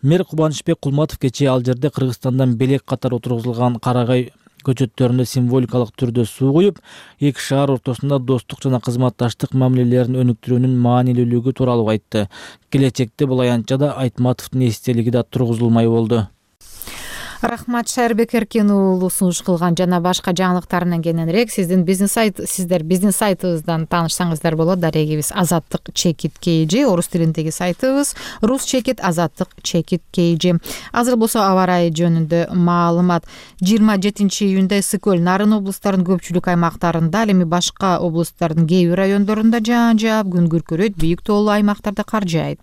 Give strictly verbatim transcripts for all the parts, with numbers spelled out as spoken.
Мэр Кубанычбек Кулматов кечээ ал жерде Кыргызстандан белек катары отургузулган карагай көчөттөрүндө символикалык түрдө суу куюп, эки шаар ортосунда достук жана кызматташтык мамилелерин өнүктүрүүнүн маанилүүлүгү тууралуу айтты. Келечекте бул аянтчада Айтматовдун эстелиги да тургузулмай болду. Рахмат Шайырбек Эркин уулу сунуш кылган жана башка жаңылыктарынан кененирээк сиздин бизнес сайт сиздер бизнес сайтыбыздан таанышсаңыздар болот. Дарегибиз Азаттык Чекит Кейжи, орус тилиндеги сайтыбыз Рус Чекит Азаттык Чекит Кейжи. Азыр болсо аба ырайы жөнүндө маалымат. жыйырма жетинчи июнда ысык көл, Нарын облустарынын көпчүлүк аймактарында, ал эми башка облустардын кээ бир райондорунда жаан жаап, күн күркүрөйт, бийик тоолуу аймактарда кар жаайт.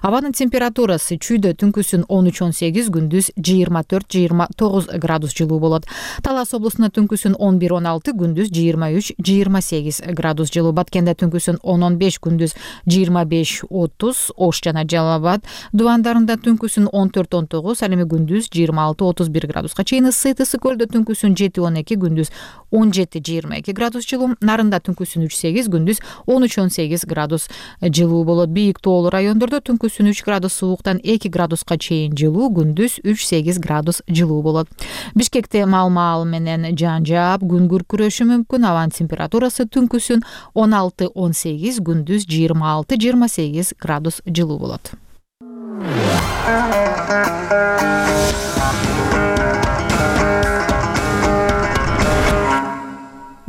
Абанын температурасы чүйдө түнкүсүн он үч он сегиз, күндүз жыйырма төрт жыйырма тогуз градус жылуу болот. Талас облусунда түнкүсүн он бир он алты, күндүз жыйырма үч жыйырма сегиз градус жылуу. Баткенде түнкүсүн он он беш, күндүз жыйырма беш отуз. Ош жана Жалал Абад дубандарында түнкүсүн он төрт он тогуз, ал эми күндүз жыйырма алты отуз бир градуска чейин ысыйт. Ысык көлдө түнкүсүн жети он эки, күндүз он жети жыйырма эки градус жылуу. Нарында түнкүсүн үч сегиз, күндүз он үч он сегиз градус жылуу болот. Бийик тоолуу райондордо түнкүсүн үч градус сууктан эки градуска чейин жылуу, күндүз үч сегиз градус жылуу болот. Бишкекте мал-мал менен жаан жаап, күн күркүрөшү мүмкүн. Абанын температурасы түнкүсүн он алты он сегиз, күндүз жыйырма алты жыйырма сегиз градус жылуу болот.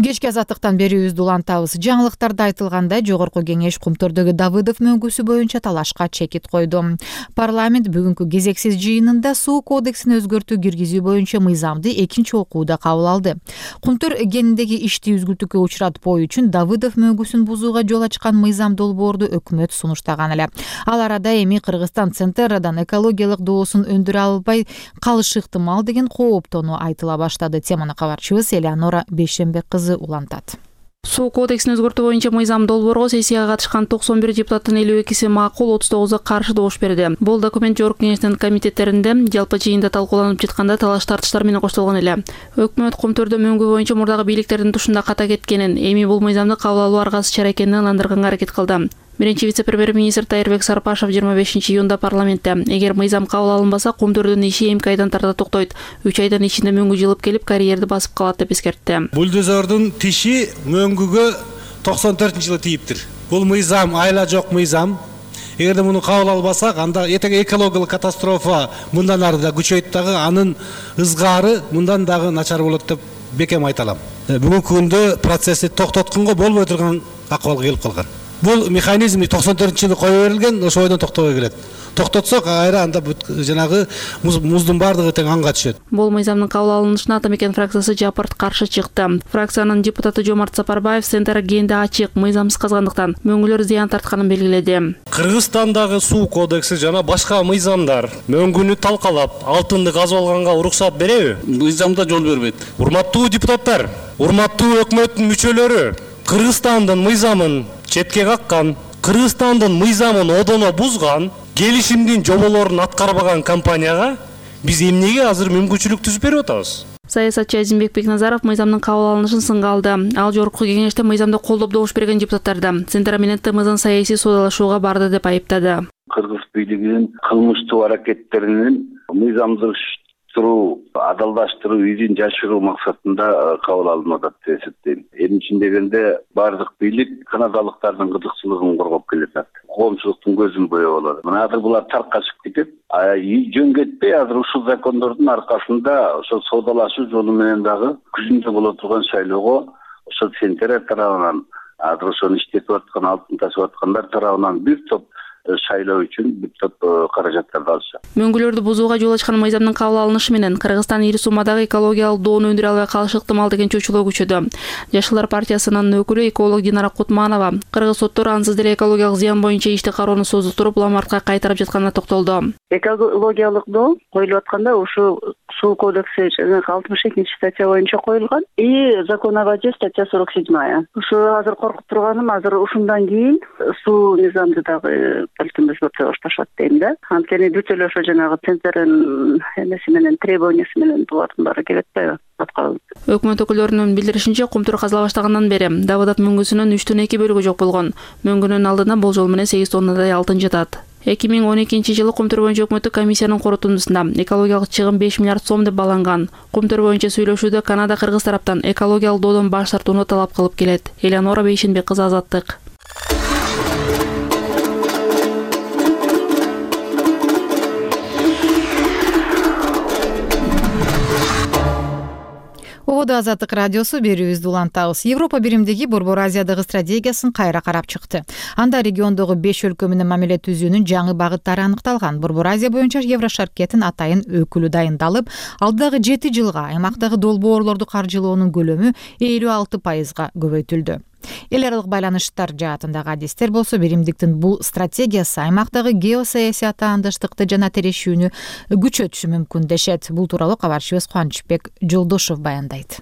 Кечки азаттыктан берүүбүздү улантабыз. Жаңылыктарда айтылгандай, жогорку кеңеш Кумтөрдөгү Давыдов мөңгүсү боюнча талашка чекит койду. Парламент бүгүнкү кезексиз жыйынында суу кодексин өзгөртүү киргизүү боюнча мыйзамды экинчи окууда кабыл алды. Кумтөр кениндеги ишти үзгүлтүккө учуратпоо үчүн Давыдов мөңгүсүн бузууга жол ачкан мыйзам долбоорду өкмөт сунуштаган эле. Ал арада эми Кыргызстан Центерадан экологиялык доосун өндүрө албай калышы ыктымал деген кооптонуу айтыла баштады. Теманы кабарчыбыз Элеонора Бейшембек кызы улантат. Суу кодексин өзгөртүү боюнча мыйзам долбоорго сессияга катышкан токсон бир депутаттын элүү экиси макул, отуз тогузу каршы добуш берди. Бул документ жогорку кеңештин комитеттеринде жалпы жыйында талкууланып жатканда талаш тартыштар менен коштолгон эле. Өкмөт Кумтөрдө мөңгү боюнча мурдагы бийликтердин тушунда ката кеткенин, эми бул мыйзамды кабыл алуу аргасыз чара экенин ыландырганга аракет кылды. Биринчи вице-премьер-министр Тайырбек Сарпашев жыйырма бешинчи июнда парламентте эгер мыйзам кабыл алынбаса, Кумтөрдүн иши эми айдан тарта токтойт. үч айдын ичинде мөңгү жылып келип, карьерди басып калат деп эскертти. Бульдозордун тиши мөңгүгө токсон төртүнчү жылы тийиптир. Бул мыйзам айла жок мыйзам. Эгерде муну кабыл албасак, анда этең экологиялык катастрофа мындан ары да күчөйт дагы, анын ызгаары мындан дагы начар болот деп бекем айта алам. Бүгүнкү күндө процессти токтотконго болбой турган акыбалга келип калган. Бул механизм токсон төртүнчү жылы кое берилген, ошо бойдон токтобой келет. Токтотсок айра анда жанагы муздун бардыгы тең анга түшөт. Бул мыйзамдын кабыл алынышына Ата мекен фракциясы жапырт каршы чыкты. Фракциянын депутаты Жомарт Сапарбаев Центр кенде ачык, мыйзамсыз казгандыктан мөңгүлөр зыян тартканын белгиледи. Кыргызстандагы суу кодекси жана башка мыйзамдар мөңгүнү талкалап, алтынды казып алганга уруксат береби? Мыйзамда жол бербейт. Урматтуу депутаттар, урматтуу өкмөттүн мүчөлөрү, Кыргызстандын мыйзамын четке каккан, Кыргызстандын мыйзамын одоно бузган, келишимдин жоболорун аткарбаган компанияга биз эмнеге азыр мүмкүнчүлүк түзүп берип атабыз? Саясатчы Азимбек Бекназаров мыйзамдын кабыл алынышын сынга алды. Ал жогорку кеңеште мыйзамды колдоп добуш берген депутаттарды Центр менен ТМЗдын саясий соодалашууга барды деп айыптады. Кыргыз бийлигинин кылмыштуу аракеттеринин мыйзамдыштыруу, адалдаштыруу, изин жашыруу максатында кабыл алынып атат деп эсептейм. Эмне дегенде бардык бийлик канадалыктардын кызыкчылыгын коргоп келет. Коомчулуктун көзүн боёп алат. Мына азыр булар таркашып кетет. Жөн кетпей азыр ушул закондордун аркасында ошол соодалашуу жолу менен дагы күзүндө боло турган шайлоого ошол Центр тарабынан азыр ошону иштетип аткан, алтын ташып аткандар тарабынан бир топ шайлоо үчүн бир топ каражаттарды алышат. Мөңгүлөрдү бузууга жол ачкан мыйзамдын кабыл алынышы менен Кыргызстан ири суммадагы экологиялык доону өндүрө албай калышы ыктымал деген чөйчөлөө күчөдү. Жашылдар партиясынын өкүлү эколог Динара Кутманова кыргыз соттор ансыз деле экологиялык зыян боюнча ишти кароону созуктуруп, ламартка кайтарып жатканына токтолду. Экологиялык доо коюлуп атканда ушу суу кодекси алтымыш экинчи статья боюнча коюлган и закон о воде статья сорок седьмая. Ушу азыр коркуп турганым, азыр ушундан кийин суу мыйзамды дагы балким өзгөртө башташат дейм да. Анткени бүт эле ошо жанагы Центрдин эмеси менен, требованиясы менен булардын баары келет да. Өкмөт өкүлдөрүнүн билдиришинче, Кумтөр казыла баштагандан бери Давыдов мөңгүсүнүн үчтөн эки бөлүгү жок болгон. Мөңгүнүн алдына болжол менен сегиз тоннадай алтын жатат. эки миң он экинчи жылы Кумтөр боюнча өкмөттүк комиссиянын корутундусунда экологиялык чыгым беш миллиард сом деп бааланган. Кумтөр боюнча сүйлөшүүдө Канада Кыргыз тараптан экологиялык доодон баш тартууну талап кылып келет. Элеонора Бейшенбек кызы, Азаттык. Ободо Азаттык радиосу, берүүбүздү улантабыз. Европа биримдиги Борбор Азиядагы стратегиясын кайра карап чыкты. Анда региондогу беш өлкө менен мамиле түзүүнүн жаңы багыттары аныкталган. Борбор Азия боюнча Еврошаркеттин атайын өкүлү дайындалып, алдыдагы жети жылга аймактагы долбоорлорду каржылоонун көлөмү элүү алты пайызга көбөйтүлдү. Эл аралык байланыштар жаатындагы адистер болсо, биримдиктин бул стратегиясы аймактагы геосаясий атаандыштыкты жана терешүүнү күчөтүшү мүмкүн дешет. Бул тууралуу кабарчыбыз Кубанычбек Жолдошов баяндайт.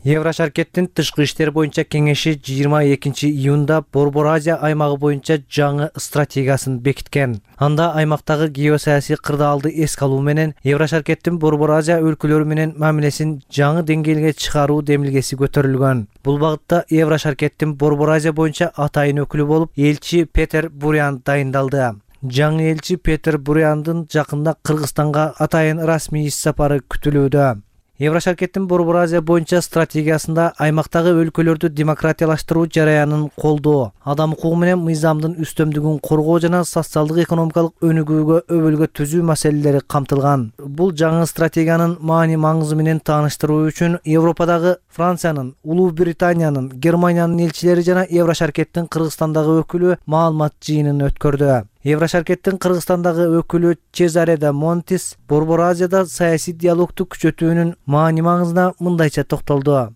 Еврошаркеттин тышкы иштер боюнча кеңеши жыйырма экинчи июнда Борбор Азия аймагы боюнча жаңы стратегиясын бекиткен. Анда аймактагы геосаясий кырдаалды эске алуу менен Еврошаркеттин Борбор Азия өлкөлөрү менен мамилесин жаңы деңгээлге чыгаруу демилгеси көтөрүлгөн. Бул багытта Еврошаркеттин Борбор Азия боюнча атайын өкүлү болуп элчи Петер Бурян дайындалды. Жаңы элчи Петер Буряндын жакында Кыргызстанга атайын расмий иш сапары күтүлүүдө. Еврошаркеттин Борбор Азия боюнча стратегиясында аймактагы өлкөлөрдү демократиялаштыруу жараянын колдоо, адам укугу менен мыйзамдын үстөмдүгүн коргоо жана социалдык экономикалык өнүгүүгө өбөлгө түзүү маселелери камтылган. Бул жаңы стратегиянын маани маңызы менен тааныштыруу үчүн Европадагы Франциянын, Улуу Британиянын, Германиянын элчилери жана Еврошаркеттин Кыргызстандагы өкүлү маалымат жыйынын өткөрдү. Еврошаркеттин Кыргызстандагы өкүлү Чезаре да Монтис Борбор Азияда саясий диалогду күчөтүүнүн маани маңызына мындайча токтолду.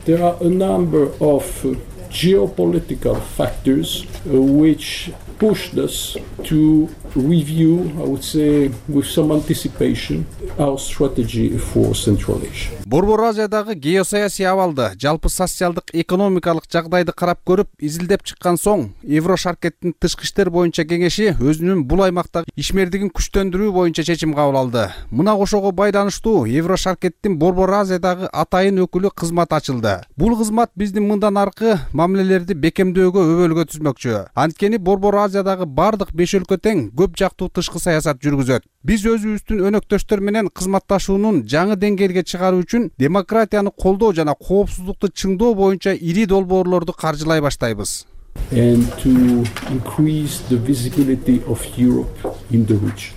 There are a number of geopolitical factors which pushed us to review, I would say, with some anticipation, our strategy for Central Asia. Борбор Азиядагы геосаясий абалды, жалпы социалдык экономикалык жагдайды карап көрүп, изилдеп чыккан соң, Еврошаркеттин тышкы иштер боюнча кеңеши өзүнүн бул аймактагы ишмердигин күчтөндүрүү боюнча чечим кабыл алды. Мына ошого байланыштуу Еврошаркеттин Борбор Азиядагы атайын өкүлү кызмат ачылды. Бул кызмат биздин мындан аркы мамилелерди бекемдөөгө өбөлгө түзмөкчү. Анткени Борбор Азиядагы бардык беш өлкө тең көп жактуу тышкы саясат жүргүзөт. Биз өзүбүздүн өнөктөштөр менен кызматташуунун жаңы деңгээлге чыгаруу үчүн демократияны колдоо жана коопсуздукту чыңдоо боюнча ири долбоорлорду каржылай баштайбыз. And to increase the visibility of Europe in the region.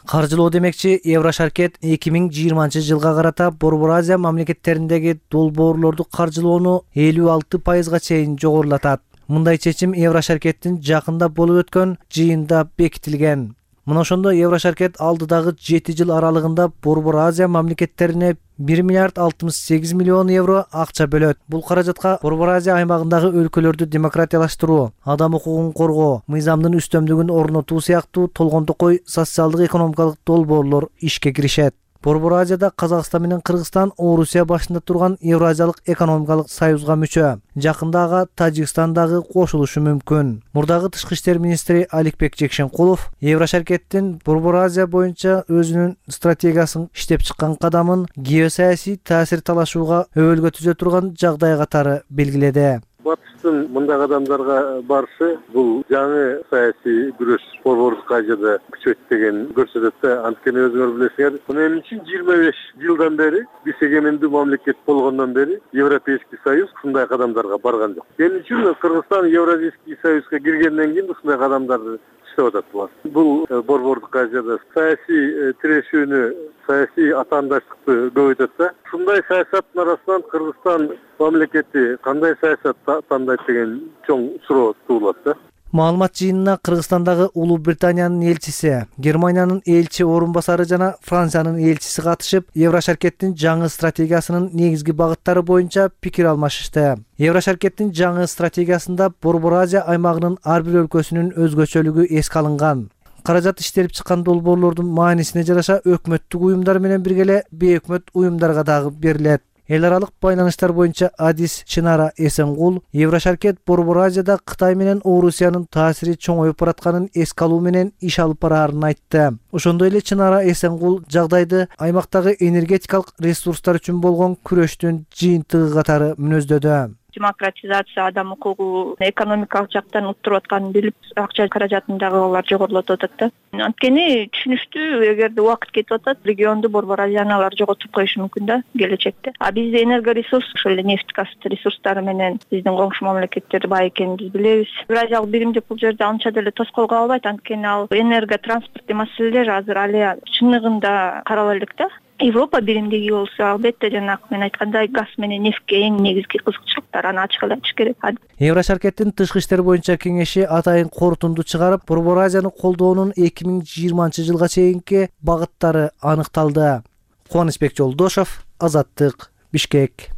Каржылоо демекчи, Еврошаркет эки миң жыйырманчы жылга карата Борбор Азия мамлекеттериндеги долбоорлорду каржылоону элүү алты пайызга чейин жогорулатат. Мындай чечим Еврошаркеттин жакында болуп өткөн жыйында бекитилген. Мына ошондо Еврошаркет алдыдагы жети жыл аралыгында Борбор Азия мамлекеттерине бир миллиард алтымыш сегиз миллион евро акча бөлөт. Бул каражатка Борбор Азия аймагындагы өлкөлөрдү демократиялаштыруу, адам укугун коргоо, мыйзамдын үстөмдүгүн орнотуу сыяктуу толгондокой социалдык экономикалык долбоорлор ишке киришет. Борбор Азияда Казакстан менен Кыргызстан Орусия башында турган Евразиялык экономикалык союзга мүчө. Жакында ага Тажикстан дагы кошулушу мүмкүн. Мурдагы тышкы иштер министри Аликбек Жекшенкулов Еврошаркеттин Борбор Азия боюнча өзүнүн стратегиясын иштеп чыккан кадамын геосаясий таасир талашууга өбөлгө түзө турган жагдай катары белгиледи. Батыштын мындай кадамдарга барышы бул жаңы саясий күрөш Борбордук Азияда күчөйт деген көрсөтөт да. Анткени өзүңөр билесиңер, мен үчүн жыйырма беш жылдан бери, биз эгемендүү мамлекет болгондон бери Европейский союз ушундай кадамдарга барган жок. Мен үчүн Кыргызстан Евразийский союзга киргенден кийин ушундай кадамдарды иштеп атат булар. Бул Борбордук Азияда саясий тирешүүнү, саясий атаандаштыкты көбөйтөт да. Ушундай саясаттын арасынан Кыргызстан мамлекети кандай саясат тандайт деген чоң суроо туулат да. Маалымат жыйынына Кыргызстандагы Улуу Британиянын элчиси, Германиянын элчи орун басары жана Франциянын элчиси катышып, Еврошаркеттин жаңы стратегиясынын негизги багыттары боюнча пикир алмашышты. Еврошаркеттин жаңы стратегиясында Борбор Азия аймагынын ар бир өлкөсүнүн өзгөчөлүгү эске алынган. Каражат иштелип чыккан долбоорлордун маанисине жараша өкмөттүк уюмдар менен бирге эле бейөкмөт уюмдарга дагы берилет. Эл аралык байланыштар боюнча адис Чынара Эсенгул Еврошаркет Борбор Азияда Кытай менен Орусиянын таасири чоңоюп баратканын эске алуу менен иш алып бараарын айтты. Ошондой эле Чынара Эсенгул жагдайды аймактагы энергетикалык ресурстар үчүн болгон күрөштүн жыйынтыгы катары мүнөздөдү. демократизация, адам укугу, экономикалык жактан уттуруп атканын билип, акча каражатын дагы алар жогорулатып атат да. Анткени түшүнүштүү, эгерде убакыт кетип атат, регионду Борбор Азияны алар жоготуп коюшу мүмкүн да келечекте. А бизде энергоресурс, ошол эле нефть газ ресурстары менен биздин коңшу мамлекеттер бай экенин биз билебиз. Евразиялык биримдик бул жерде анча деле тоскоол кала албайт, анткени ал энерго транспорттуу маселелер азыр али чыныгында карала элек да. Европа биримдиги болсо, албетте жанагы мен айткандай газ менен нефтке эң негизги кызыкчылыктар, аны ачык эле айтыш керек. Еврошаркеттин тышкы иштер боюнча кеңеши атайын корутунду чыгарып, Борбор Азияны колдоонун эки миң жыйырманчы жылга чейинки багыттары аныкталды. Кубанычбек Жолдошов, Азаттык, Бишкек.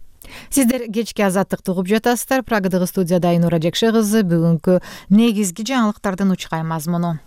Сиздер кечки Азаттыкты угуп жатасыздар. Прагадагы студияда Айнура Жекше кызы бүгүнкү негизги жаңылыктардын учкай мазмуну.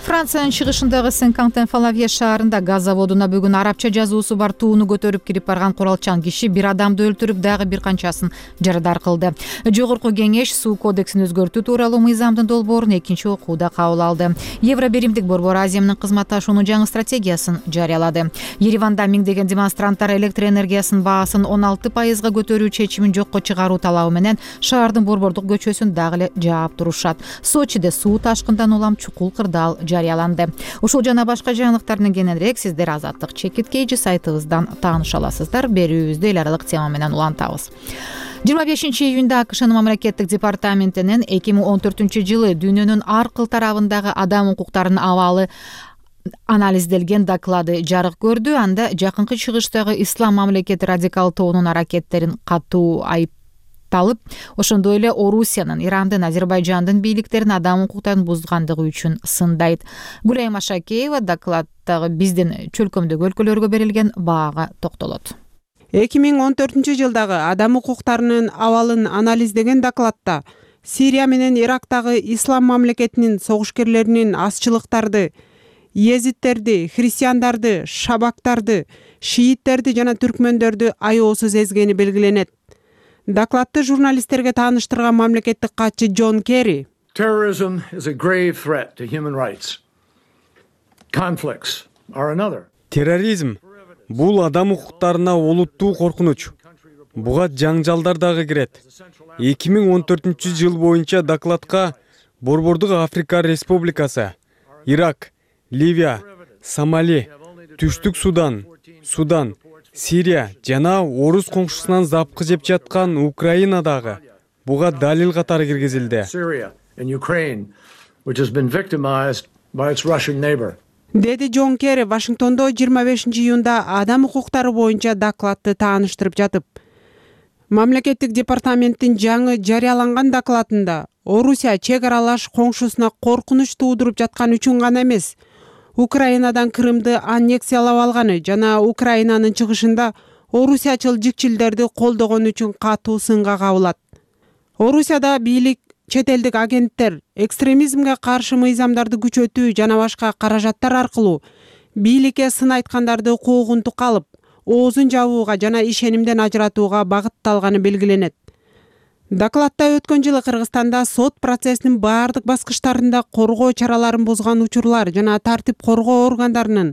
Франциянын чыгышындагы Сен-Кантен-Фалавье шаарында газ заводуна бүгүн арабча жазуусу бар тууну көтөрүп кирип барган куралчан киши бир адамды өлтүрүп, дагы бир канчасын жарадар кылды. Жогорку кеңеш суу кодексин өзгөртүү тууралуу мыйзамдын долбоорун экинчи окууда кабыл алды. Евро биримдик Борбор Азия менен кызматташуунун жаңы стратегиясын жарыялады. Ереванда миңдеген демонстранттар электр энергиясынын баасын он алты пайызга көтөрүү чечимин жокко чыгаруу талабы менен шаардын борбордук көчөсүн дагы эле жаап турушат. Сочиде суу ташкындан улам чукул кырдаал жарыяланды. Ушул жана башка жаңылыктардын кененирээк сиздер Азаттык чекиткейжи сайтыбыздан тааныша аласыздар. Берүүбүздү эл аралык тема менен улантабыз. жыйырма бешинчи июнда АКШнын мамлекеттик департаментинин эки миң он төртүнчү жылы дүйнөнүн ар кыл тарабындагы адам укуктарынын абалы анализделген доклады жарык көрдү. Анда жакынкы чыгыштагы ислам мамлекети радикал тобунун аракеттерин катуу айып талып, ошондой эле Орусиянын, Ирандын, Азербайжандын бийликтерин адам укуктарын бузгандыгы үчүн сындайт. Гүлайым Машакеева докладдагы биздин чөлкөмдөгү өлкөлөргө берилген баага токтолот. эки миң он төртүнчү жылдагы адам укуктарынын абалын анализдеген докладта Сирия менен Ирактагы ислам мамлекетинин согушкерлеринин азчылыктарды, езиттерди, христиандарды, шабактарды, шииттерди жана түркмөндөрдү аяосуз эзгени белгиленет. Докладты журналисттерге тааныштырган мамлекеттик катчы Джон Керри Terrorism is a grave threat to human rights. Conflicts are another. Терроризм бул адам укуктарына олуттуу коркунуч. Буга жаңжалдар дагы кирет. эки миң он төртүнчү жыл боюнча докладка Борбордук Африка Республикасы, Ирак, Ливия, Сомали, Түштүк Судан, Судан, Сирия жана орус коңшусунан запкы жеп жаткан Украинадагы буга далил катары киргизилди. Деди Джон Керри Вашингтондо жыйырма бешинчи июнда адам укуктары боюнча докладты тааныштырып жатып. Мамлекеттик департаменттин жаңы жарыяланган докладында Орусия чек аралаш коңшусуна коркунуч туудуруп жаткан үчүн гана эмес, Украинадан Крымды аннексиялап алганы жана Украинанын чыгышында орусиячыл жикчилдерди колдогон үчүн катуу сынга кабылат. Орусияда бийлик, чет элдик агенттер экстремизмге каршы мыйзамдарды күчөтүү жана башка каражаттар аркылуу бийликке сын айткандарды куугунтук алып, оозун жабууга жана ишенимден ажыратууга багытталганы белгиленет. Докладта өткөн жылы Кыргызстанда сот процессинин баардык баскычтарында коргоо чараларын бузган учурлар жана тартип коргоо органдарынын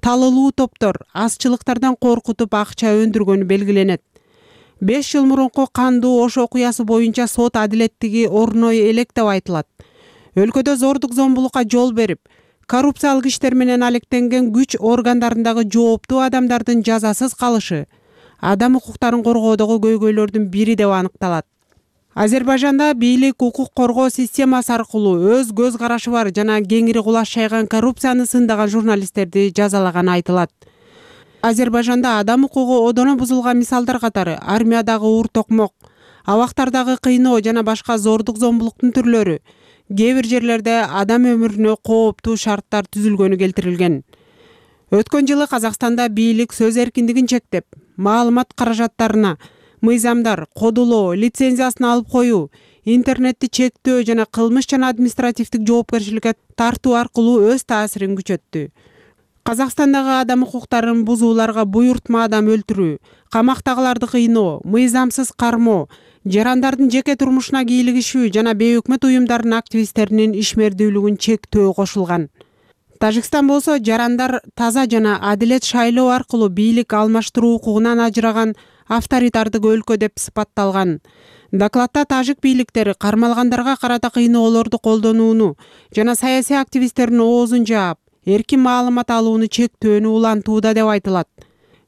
талылуу топтор азчылыктардан коркутуп акча өндүргөнү белгиленет. беш жыл мурунку кандуу Ош окуясы боюнча сот адилеттиги орной элек деп айтылат. Өлкөдө зордук зомбулукка жол берип, коррупциялык иштер менен алектенген күч органдарындагы жооптуу адамдардын жазасыз калышы адам укуктарын коргоодогу көйгөйлөрдүн бири деп аныкталат. Азербайжанда бийлик укук коргоо системасы аркылуу өз көз карашы бар жана кеңири кулаш жайган коррупцияны сындаган журналисттерди жазалаганы айтылат. Азербайжанда адам укугу одоно бузулган мисалдар катары армиядагы уур токмок, абактардагы кыйноо жана башка зордук зомбулуктун түрлөрү, кээ бир жерлерде адам өмүрүнө кооптуу шарттар түзүлгөнү келтирилген. Өткөн жылы Казакстанда бийлик сөз эркиндигин чектеп, маалымат каражаттарына мыйзамдар, кодулоо, лицензиясын алып коюу, интернетти чектөө жана кылмыш жана административдик жоопкерчиликке тартуу аркылуу өз таасирин күчөттү. Казакстандагы адам укуктарын бузууларга буйртма адам өлтүрүү, камактагыларды кыйноо, мыйзамсыз кармоо, жарандардын жеке турмушуна кийлигишүү жана бейөкмөт уюмдарынын активисттеринин ишмердүүлүгүн чектөө кошулган. Тажикстан болсо жарандар таза жана адилет шайлоо аркылуу бийлик алмаштыруу укугунан ажыраган авторитардык өлкө деп сыпатталган. Докладта тажик бийликтери кармалгандарга карата кыйноолорду колдонууну жана саясий активисттердин оозун жаап, эркин маалымат алууну чектөөнү улантууда деп айтылат.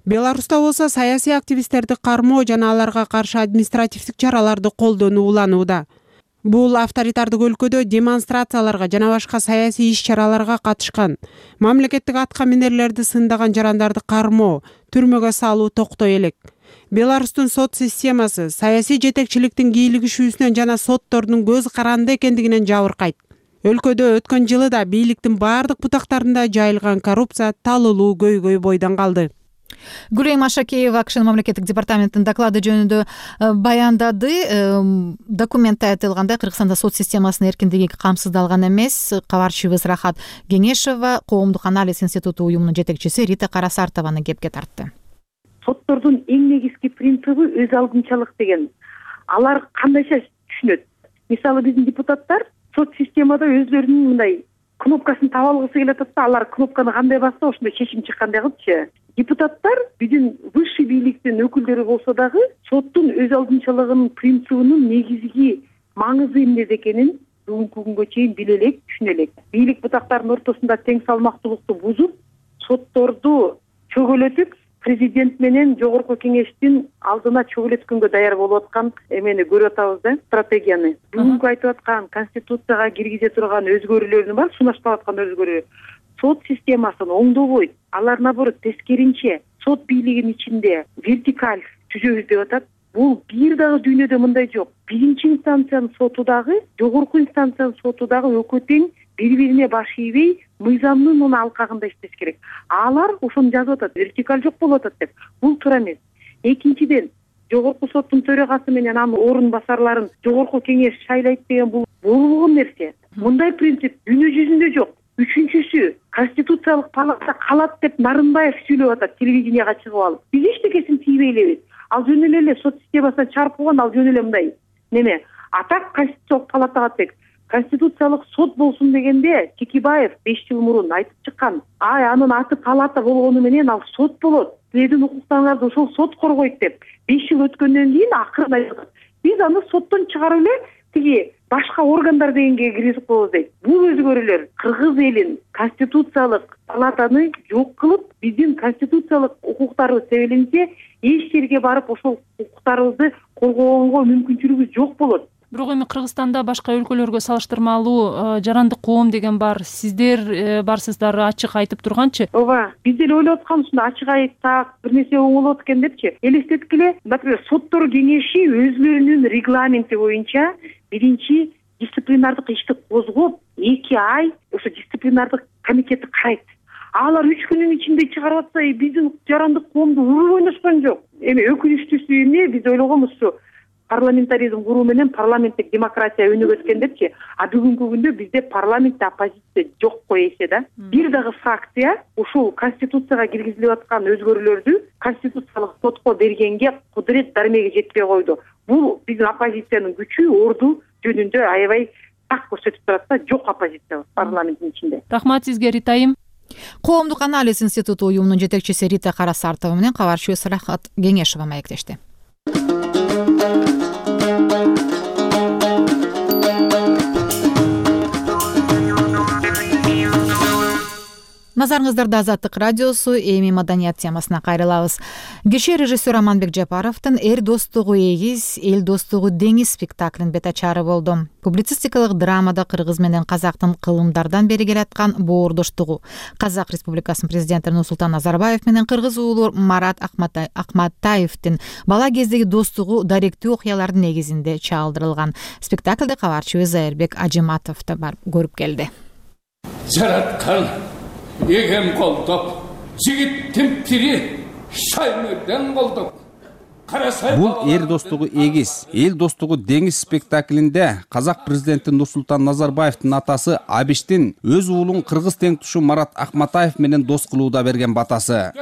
Беларуста болсо саясий активисттерди кармоо жана аларга каршы административдик чараларды колдонуу уланууда. Бул авторитардык өлкөдө демонстрацияларга жана башка саясий иш-чараларга катышкан, мамлекеттик атка минерлерди сындаган жарандарды кармоо, түрмөгө салуу токтой элек. Беларустун сот системасы саясий жетекчиликтин кийлигишүүсүнөн жана соттордун көз каранды экендигинен жабыркайт. Өлкөдө өткөн жылы да бийликтин бардык бутактарында жайылган коррупция талылуу көйгөй бойдон калды. Гүлэйим Ашакеева Акшын мамлекеттик департаменттин доклады жөнүндө баяндады. Документте айтылгандай, Кыргызстанда сот системасынын эркиндиги камсыздалган эмес. Кабарчыбыз Рахат Кеңешова Коомдук анализ институту уюмунун жетекчиси Рита Карасартованы кепке тартты. Соттордун эң негизги принциби өз алдынчалык деген. Алар кандайча түшүнөт? Мисалы биздин депутаттар сот системада өзлөрүнүн мындай кнопкасын таба алгысы келип атат да, алар кнопканы кандай басса ошондой чечим чыккандай кылчы. Депутаттар биздин высший бийликтин өкүлдөрү болсо дагы соттун өз алдынчалыгынын принцибинин негизги маңызы эмне экенин бүгүнкү күнгө чейин биле элек, түшүнө элек. Бийлик бутактарынын ортосунда тең салмактуулукту бузуп, сотторду чөгөлөтүп, президент менен жогорку кеңештин алдына чөгөлөткөнгө даяр болуп аткан эмени көрүп атабыз да, стратегияны. Бүгүнкү айтып аткан конституцияга киргизе турган өзгөрүүлөрдүн бар, сунушталып аткан өзгөрүү сот системасын оңдобойт. Алар наоборот тескеринче сот бийлигинин ичинде вертикаль түзөбүз деп атат. Бул бир дагы дүйнөдө мындай жок. Биринчи инстанциянын соту дагы, жогорку инстанциянын соту дагы өкө тең, бири-бирине баш ийбей, мыйзамдын муну алкагында иштеш керек. Алар ошону жазып атат, вертикаль жок болуп атат деп. Бул туура эмес. Экинчиден, жогорку соттун төрагасы менен анын орун басарларын жогорку кеңеш шайлайт деген бул болгон нерсе. Мындай принцип дүйнө жүзүндө жок. Үчүнчүсү, конституциялык палата калат деп Нарынбаев сүйлөп атат телевиденияга чыгып алып. Биз эчтекесин тийбей элебиз. Ал жөн эле сот системасынан чарп болгон, ал жөн эле мындай. Неме? Атак конституциялык палатага тек. Конституциялык сот болсун дегенде Текебаев беш жыл мурун айтып чыккан. Ай, анын аты палата болгону менен ал сот болот. Силердин укуктарыңарды ошол сот коргойт деп. беш жыл өткөндөн кийин акырын айтат. Биз аны соттон чыгарып эле тиги башка органдар дегенге киргизип коебуз дейт. Бул өзгөрүүлөр кыргыз элин конституциялык палатаны жок кылып, биздин конституциялык укуктарыбыз себелинсе, эч жерге барып ошол укуктарыбызды коргогонго мүмкүнчүлүгүбүз жок болот. Бирок эми Кыргызстанда башка өлкөлөргө салыштырмалуу жарандык коом деген бар. Сиздер барсыздар, ачык айтып турганчы? Ооба, биз деле ойлоп атканбыз, ачык айтсак, бир нерсе оңолот экен депчи. Элестеткиле, например, соттор кеңеши өзлөрүнүн регламенти боюнча биринчи дисциплинардык ишти козгоп, эки ай ошо дисциплинардык комитетти карайт. Алар үч күнүн ичинде чыгарып атса, биздин жарандык коомду урууп ойношкон жок. Эми өкүнүчтүүсү эмне, биз ойлогонбуз ушу парламентаризм куруу менен парламенттик демократия өнүгөт экен депчи. А бүгүнкү күндө бизде парламентте оппозиция жокко эсе да. Бир дагы фракция ушул конституцияга киргизилип аткан өзгөрүүлөрдү конституциялык сотко бергенге кудурет дармеге жетпей койду. Бул биздин оппозициянын күчү, орду жөнүндө аябай так көрсөтүп турат да, жок оппозиция парламенттин ичинде. Рахмат сизге, Ритайым. Коомдук анализ институту уюмунун жетекчиси Рита Карасартова менен кабарчыбыз Рахат Кеңешова маектешти. Назарыңыздарда Азаттык радиосу, эми маданият темасына кайрылабыз. Кеше режиссер Аманбек Жапаровдун «Эр достугу эгиз, эл достугу деңиз» спектаклинин бетачары болду. Публицистикалык драмада кыргыз менен казактын кылымдардан бери келаткан боордоштугу, Казак Республикасынын президенти Нурсултан Назарбаев менен кыргыз уулу Марат Акматаевдин бала кездеги достугу даректүү окуялардын негизинде чагылдырылган. Спектаклде кабарчыбыз Айырбек Ажиматов да барып көрүп келди. Жараткан эгем колдоп, жигит тимтири шаймырдан колдоп. Бул «Эр достугу эгиз, эл достугу деңиз» спектаклинде казак президенти Нурсултан Назарбаевдин атасы Абиштин өз уулун кыргыз теңтушу Марат Акматаев менен дос кылууда берген батасы.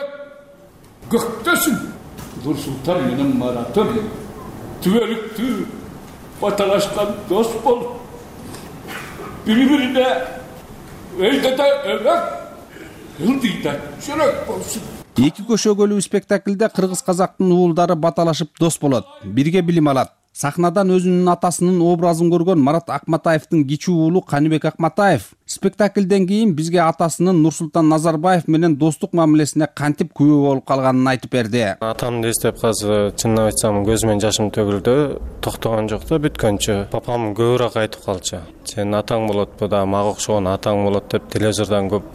Көктөсүн Нурсултан менен Маратым түбөлүктүү баталашкан дос болуп, бири-бирине өйдөдө өлөк ылдыйда жүрөк болсун. Эки көшөгөлүү спектакльде кыргыз казактын уулдары баталашып дос болот, бирге билим алат. Сахнадан өзүнүн атасынын образын көргөн Марат Акматаевдин кичүү уулу Каныбек Акматаев спектакльден кийин бизге атасынын Нурсултан Назарбаев менен достук мамилесине кантип күбө болуп калганын айтып берди. Атамды эстеп азыр чынын айтсам көзүмөн жашым төгүлдү. Токтогон жок да бүткөнчө. Папам көбүрөөк айтып калчу. Сен атаң болот, да мага окшогон атаң болот деп телевизордон көп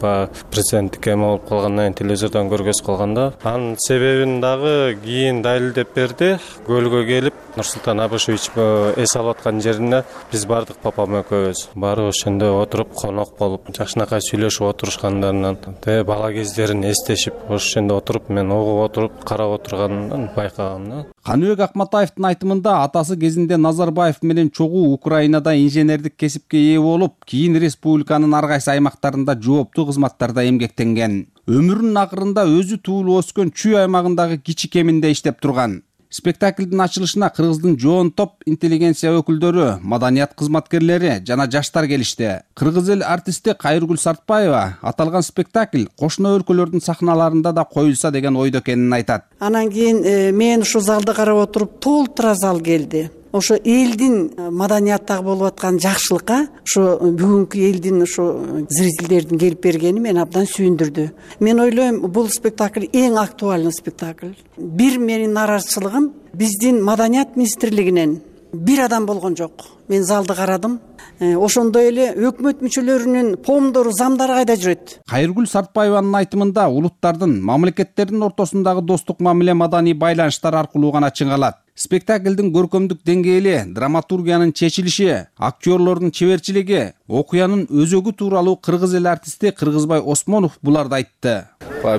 президенттикке эме болуп калгандан кийин телевизордон көргөзүп калганда. Анын себебин дагы кийин далилдеп берди. Көлгө келип Нурсултан Абышевич эс алып аткан жерине биз бардык папам экөөбүз. Баары ошондо отуруп конок болуп, жакшынакай сүйлөшүп отурушкандарынан, те бала кездерин эстешип, ошондо отуруп мен угуп отуруп карап отурганын байкагам. Каныбек Акматаевдин айтымында атасы кезинде Назарбаев менен чогуу Украинада инженердик кесипке ээ болуп, кийин республиканын ар кайсы аймактарында жооптуу кызматтарда эмгектенген. Өмүрүнүн акырында өзү туулуп өскөн Чүй аймагындагы кичи кеминде иштеп турган. Спектаклдин ачылышына Кыргыздын жоон топ интеллигенция өкүлдөрү, маданият кызматкерлери жана жаштар келишти. Кыргыз эл артисти Кайыргүл Сартбаева аталган спектакль кошуна өлкөлөрдүн сахналарында да коюлса деген ойдо экенин айтат. Анан кийин мен ушу залды карап отуруп толтура зал келди. Ошо элдин маданияттагы болуп аткан жакшылыкка ошо бүгүнкү элдин ошо зрительдердин келип бергени мени абдан сүйүндүрдү. Мен ойлойм, бул спектакль эң актуальный спектакль. Бир менин нааразычылыгым, биздин маданият министрлигинен бир адам болгон жок. Мен залды карадым. Ошондой эле өкмөт мүчөлөрүнүн помдору, замдары кайда жүрөт? Кайыргүл Сартбаеванын айтымында улуттардын, мамлекеттердин ортосундагы достук мамиле маданий байланыштар аркылуу гана чыңалат. Спектаклдин көркөмдүк деңгээли, драматургиянын чечилиши, актерлордун чеберчилиги, окуянын өзөгү тууралуу кыргыз эл артисти Кыргызбай Осмонов буларды айтты.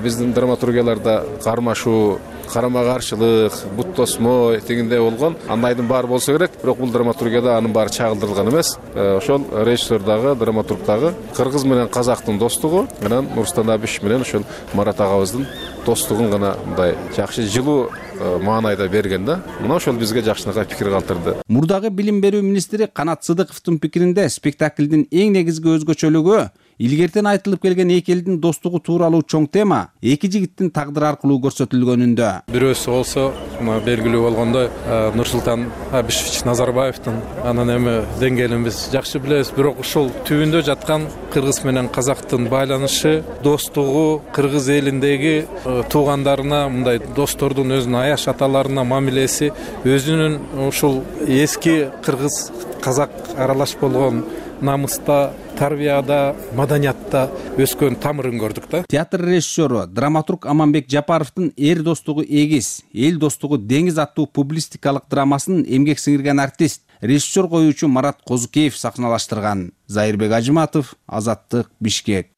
Биздин драматургияларда кармашуу, карама каршылык, бут тосмо дегендей болгон. Андайдын баары болсо керек, бирок бул драматургияда анын баары чагылдырылган эмес. Ошол режиссердагы, драматургдагы кыргыз менен казактын достугу, анан Нурсултан Абишев менен ошол Марат агабыздын достугун гана мындай жакшы жылуу маанайда берген да. Мына ошол бизге жакшынакай пикир калтырды. Мурдагы билим берүү министри Канат Сыдыковдун пикиринде спектаклдин эң негизги өзгөчөлүгү илгертен айтылып келген эки элдин достугу тууралуу чоң тема эки жигиттин тагдыры аркылуу көрсөтүлгөнүндө. Бирөөсү болсо белгилүү болгондой Нурсултан Абишевич Назарбаевдин анан эми деңгээлин биз жакшы билебиз, бирок ушул түбүндө жаткан кыргыз менен казактын байланышы, достугу, кыргыз элиндеги туугандарына, мындай достордун өзүнүн аяш аталарына мамилеси, өзүнүн ушул эски кыргыз казак аралаш болгон намыста, тарбияда, маданиятта өскөн тамырын көрдүк да. Театр режиссеру, драматург Аманбек Жапаровдун Эр достугу эгиз, эл достугу деңиз аттуу публистикалык драмасын эмгек сиңирген артист, режиссер коюучу Марат Козукеев сахналаштырган. Зайырбек Ажыматов, Азаттык, Бишкек.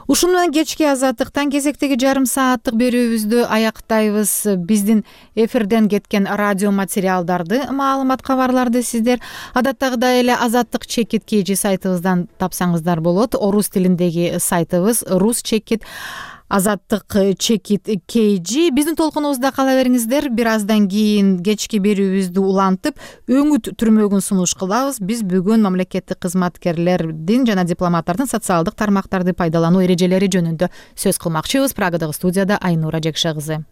Ушуну менен кечки азаттыктан кезектеги жарым сааттык берүүбүздү аяктайбыз. Биздин эфирден кеткен радио материалдарды, маалымат кабарларды сиздер адаттагыдай эле Азаттык чекит кей жи сайтыбыздан тапсаңыздар болот. Орус тилиндеги сайтыбыз рус чекит Азаттык чекит кей жи. Биздин толкунубузда кала бериңиздер. Бир аздан кийин кечки берүүбүздү улантып, өңүт түрмөгүн сунуш кылабыз. Биз бүгүн мамлекеттик кызматкерлердин жана дипломаттардын социалдык тармактарды пайдалануу эрежелери жөнүндө сөз кылмакчыбыз. Прагадагы студияда Айнура Жекше кызы.